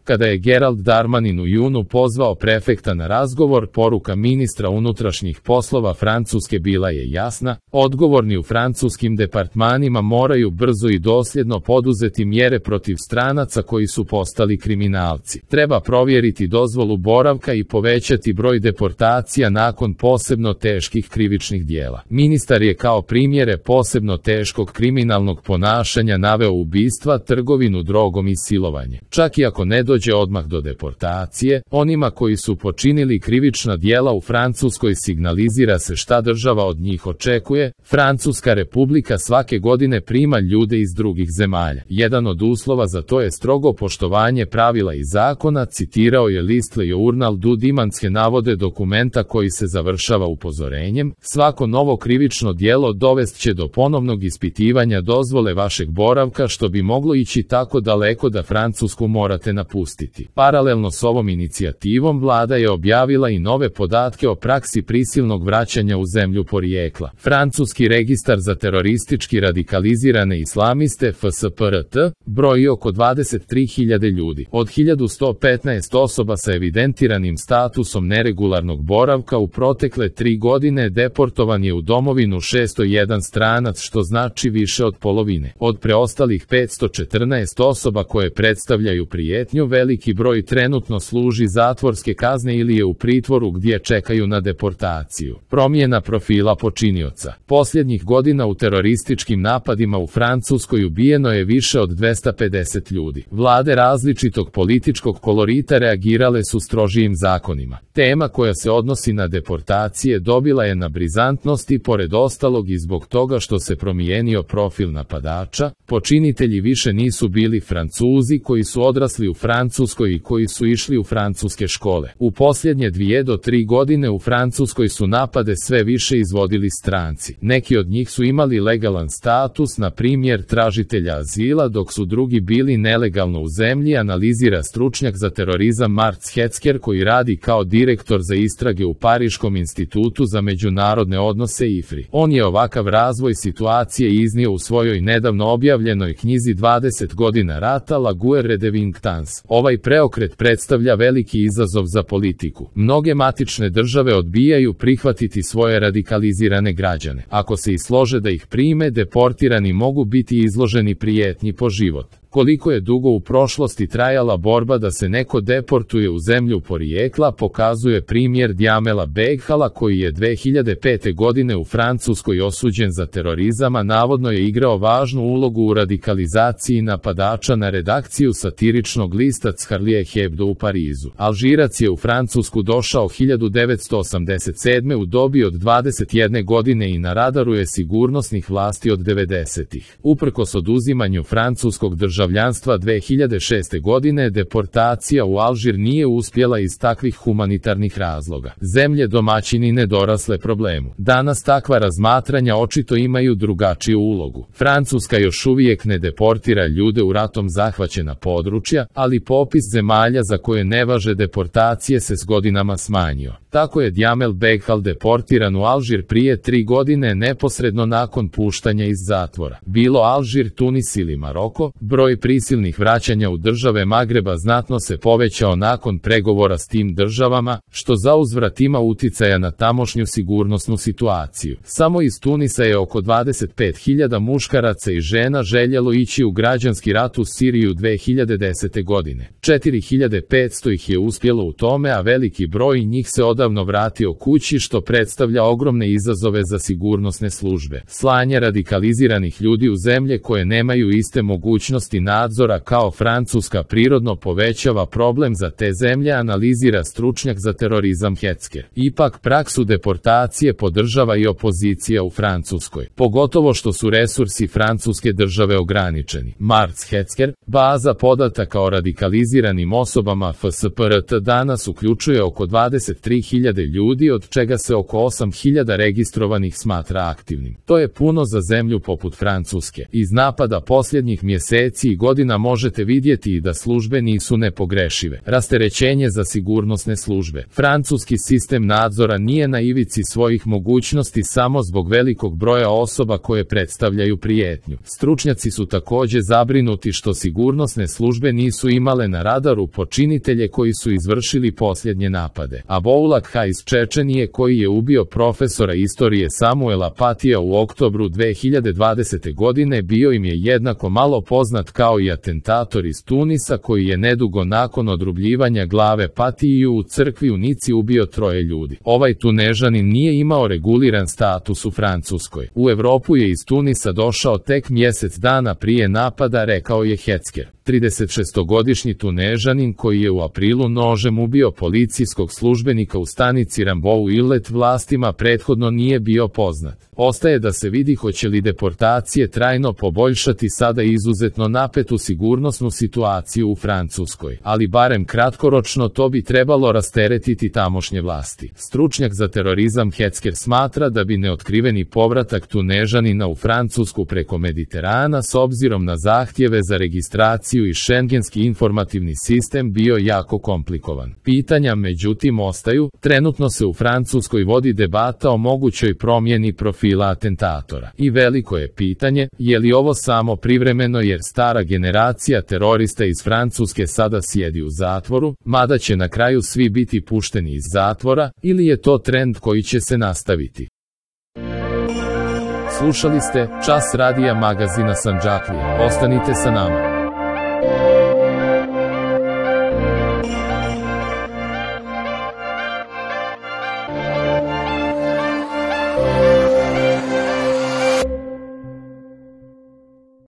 Kada je Gerald Darmanin u junu pozvao prefekta na razgovor, poruka ministra unutrašnjih poslova Francuske bila je jasna: odgovorni u francuskim departmanima moraju brzo i dosljedno poduzeti mjere protiv stranaca koji su postali kriminalci. Treba provjeriti dozvolu boravka i povećati broj deportacija nakon posebno teških krivičnih djela. Ministar je kao primjere posebno teškog kriminalnog ponašanja naveo ubistva, trgovinu drogom i silovanje. Čak i ako ne dođe odmah do deportacije, onima koji su počinili krivična djela u Francuskoj signalizira se šta država od njih očekuje. Francuska republika svake godine prima ljude iz drugih zemalja. Jedan od uslova za to je strogo poštovanje pravila i zakona, citirao je list Le Journal du Dimanche, navode dokumenta koji se završava upozorenjem: svako novo krivično djelo dovest će do ponovnog ispitivanja dozvole vašeg boravka, što bi moglo ići tako daleko da Francusku morate napustiti. Paralelno s ovom inicijativom, vlada je objavila i nove podatke o praksi prisilnog vraćanja u zemlju porijekla. Francuski registar za teroristički radikalizirane islamiste FSPRT broji oko 23.000 ljudi. Od 1115 osoba sa evidentiranim statusom neregularnog boravka u protekle 3 godine deportovan je u domovinu 601 stranac, što znači više od polovine. Od preostalih 514 osoba koje predstavljaju prijetnju, veliki broj trenutno služi zatvorske kazne ili je u pritvoru gdje čekaju na deportaciju. Promjena profila počinioca. Posljednjih godina u terorističkim napadima u Francuskoj ubijeno je više od 250 ljudi. Vlade različitog političkog kolorita reagirale su strožijim zakonima. Tema koja se odnosi na deportacije dobila je na brizantnosti, pored ostalog i zbog toga što se promijenio profil napadača. Počinitelji više nisu bili Francuzi koji su odrasli u Francuskoj i koji su išli u francuske škole. U posljednje 2 do 3 godine u Francuskoj su napade sve više izvodili stranci. Neki od njih su imali legalan status, na primjer tražitelja azila, dok su drugi bili nelegalno u zemlji, analizira stručnjak za terorizam Marc Hetzker koji radi kao direktor za istrage u Pariškom institutu za međunarodne odnose IFRI. On je ovakav razvoj situacije iznio u svojoj nedavno objavljenoj knjizi 20 godina rata, La guerre de 20 ans. Ovaj preokret predstavlja veliki izazov za politiku. Mnoge matične države odbijaju prihvatiti svoje radikalizirane građane. Ako se i slože da ih prime, deportirani mogu biti izloženi prijetnji po život. Koliko je dugo u prošlosti trajala borba da se neko deportuje u zemlju porijekla, pokazuje primjer Djamela Beghala koji je 2005. godine u Francuskoj osuđen za terorizam, a navodno je igrao važnu ulogu u radikalizaciji napadača na redakciju satiričnog lista Charlie Hebdo u Parizu. Alžirac je u Francusku došao 1987. u dobi od 21 godine i na radaru je sigurnosnih vlasti od 90-ih. Uprkos oduzimanju francuskog državljanstva 2006. godine, deportacija u Alžir nije uspjela iz takvih humanitarnih razloga. Zemlje domaćini nedorasle problemu. Danas takva razmatranja očito imaju drugačiju ulogu. Francuska još uvijek ne deportira ljude u ratom zahvaćena područja, ali popis zemalja za koje ne važe deportacije se s godinama smanjio. Tako je Djamel Beghal deportiran u Alžir prije 3 godine neposredno nakon puštanja iz zatvora. Bilo Alžir, Tunis ili Maroko, broj prisilnih vraćanja u države Magreba znatno se povećao nakon pregovora s tim državama, što zauzvrat ima uticaja na tamošnju sigurnosnu situaciju. Samo iz Tunisa je oko 25.000 muškaraca i žena željelo ići u građanski rat u Siriju 2010. godine. 4.500 ih je uspjelo u tome, a veliki broj njih se odavno vratio kući, što predstavlja ogromne izazove za sigurnosne službe. Slanje radikaliziranih ljudi u zemlje koje nemaju iste mogućnosti nadzora kao Francuska prirodno povećava problem za te zemlje, analizira stručnjak za terorizam Hetzker. Ipak praksu deportacije podržava i opozicija u Francuskoj, pogotovo što su resursi francuske države ograničeni. Marc Hetzker, baza podataka o radikaliziranim osobama FSPRT danas uključuje oko 23.000 ljudi, od čega se oko 8.000 registrovanih smatra aktivnim. To je puno za zemlju poput Francuske. Iz napada posljednjih mjeseci evidenciji godina možete vidjeti i da službe nisu nepogrešive. Rasterećenje za sigurnosne službe. Francuski sistem nadzora nije na ivici svojih mogućnosti samo zbog velikog broja osoba koje predstavljaju prijetnju. Stručnjaci su također zabrinuti što sigurnosne službe nisu imale na radaru počinitelje koji su izvršili posljednje napade. Aboulat Ha iz Čečenije, koji je ubio profesora istorije Samuela Patija u oktobru 2020. godine, bio im je jednako malo poznat kao i atentator iz Tunisa koji je nedugo nakon odrubljivanja glave Patiju u crkvi u Nici ubio 3 ljudi. Ovaj Tunežanin nije imao reguliran status u Francuskoj. U Europu je iz Tunisa došao tek mjesec dana prije napada, rekao je Hetzker. 36-godišnji Tunežanin koji je u aprilu nožem ubio policijskog službenika u stanici Rambou Illet vlastima prethodno nije bio poznat. Ostaje da se vidi hoće li deportacije trajno poboljšati sada izuzetno napetu sigurnosnu situaciju u Francuskoj, ali barem kratkoročno to bi trebalo rasteretiti tamošnje vlasti. Stručnjak za terorizam Hetzker smatra da bi neotkriveni povratak Tunežanina u Francusku preko Mediterana s obzirom na zahtjeve za registraciju i šengenski informativni sistem bio jako komplikovan. Pitanja međutim ostaju. Trenutno se u Francuskoj vodi debata o mogućoj promjeni profila atentatora. I veliko je pitanje, je li ovo samo privremeno jer stara generacija terorista iz Francuske sada sjedi u zatvoru, mada će na kraju svi biti pušteni iz zatvora, ili je to trend koji će se nastaviti. Slušali ste Čas radija magazina Sandžaklija. Ostanite sa nama.